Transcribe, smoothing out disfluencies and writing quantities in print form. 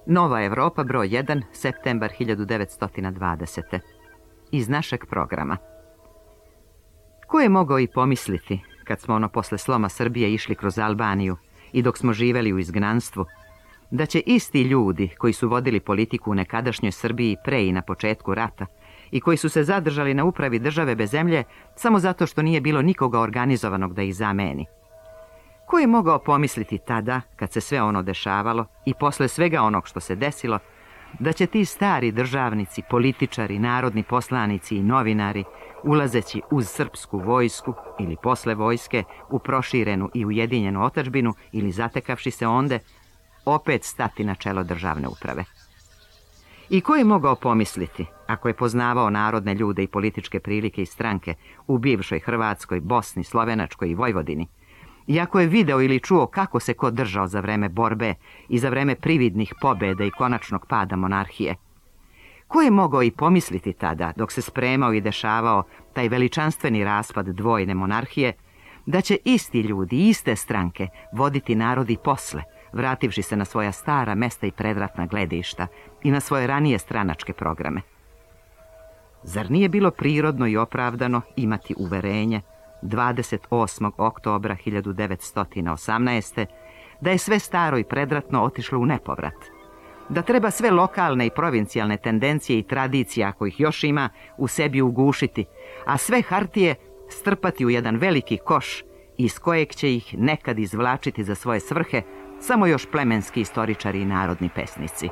Nova Evropa, broj 1, septembar 1920. Iz našeg programa. Ko je mogao i pomisliti, kad smo posle sloma Srbije išli kroz Albaniju i dok smo živeli u izgnanstvu, da će isti ljudi koji su vodili politiku u nekadašnjoj Srbiji pre i na početku rata i koji su se zadržali na upravi države bez zemlje samo zato što nije bilo nikoga organizovanog da ih zameni. Ko je mogao pomisliti tada, kad se sve ono dešavalo i posle svega onog što se desilo, da će ti stari državnici, političari, narodni poslanici i novinari, ulazeći uz srpsku vojsku ili posle vojske u proširenu i ujedinjenu otadžbinu ili zatekavši se onde, opet stati na čelo državne uprave? I ko je mogao pomisliti, ako je poznavao narodne ljude i političke prilike i stranke u bivšoj Hrvatskoj, Bosni, Slovenačkoj i Vojvodini, i ako je video ili čuo kako se ko držao za vreme borbe i za vreme prividnih pobjeda i konačnog pada monarhije, ko je mogao i pomisliti tada, dok se spremao i dešavao taj veličanstveni raspad dvojne monarhije, da će isti ljudi, iste stranke voditi narod i posle, vrativši se na svoja stara mesta i predratna gledišta i na svoje ranije stranačke programe? Zar nije bilo prirodno i opravdano imati uverenje 28. oktobra 1918. da je sve staro i predratno otišlo u nepovrat? Da treba sve lokalne i provincijalne tendencije i tradicije, ako ih još ima, u sebi ugušiti, a sve hartije strpati u jedan veliki koš iz kojeg će ih nekad izvlačiti za svoje svrhe samo još plemenski istoričari i narodni pesnici?